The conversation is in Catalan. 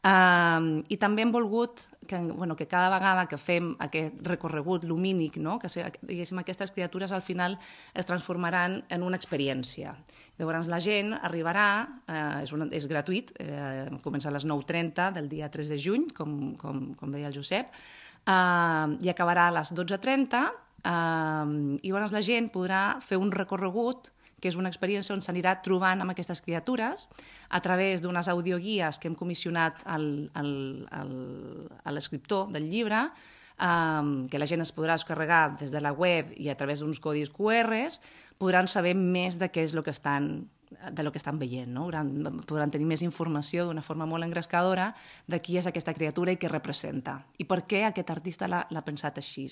I també hem volgut que cada vegada que fem aquest recorregut lumínic, que aquestes criatures al final es transformaran en una experiència. Llavors la gent arribarà, és gratuït, comença a les 9:30 del dia 3 de juny, com deia el Josep, i acabarà a les 12:30, i llavors la gent podrà fer un recorregut que és una experiència on s'anirà trobant amb aquestes criatures a través d'unes audioguies que hem comissionat a l'escriptor del llibre, que la gent es podrà descarregar des de la web i a través d'uns codis QRs, podran saber més de què és el que estan veient. Podran tenir més informació d'una forma molt engrescadora de qui és aquesta criatura i què representa i per què aquest artista l'ha pensat així.